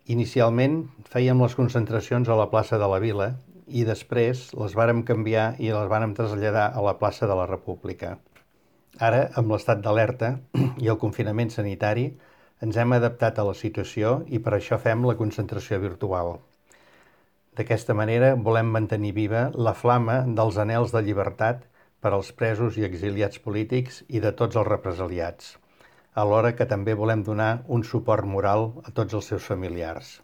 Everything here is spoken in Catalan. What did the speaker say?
Inicialment fèiem les concentracions a la plaça de la Vila i després les vàrem canviar i les vàrem traslladar a la plaça de la República. Ara, amb l'estat d'alerta i el confinament sanitari, ens hem adaptat a la situació i per això fem la concentració virtual. D'aquesta manera volem mantenir viva la flama dels anhels de llibertat per als presos i exiliats polítics i de tots els represaliats, alhora que també volem donar un suport moral a tots els seus familiars.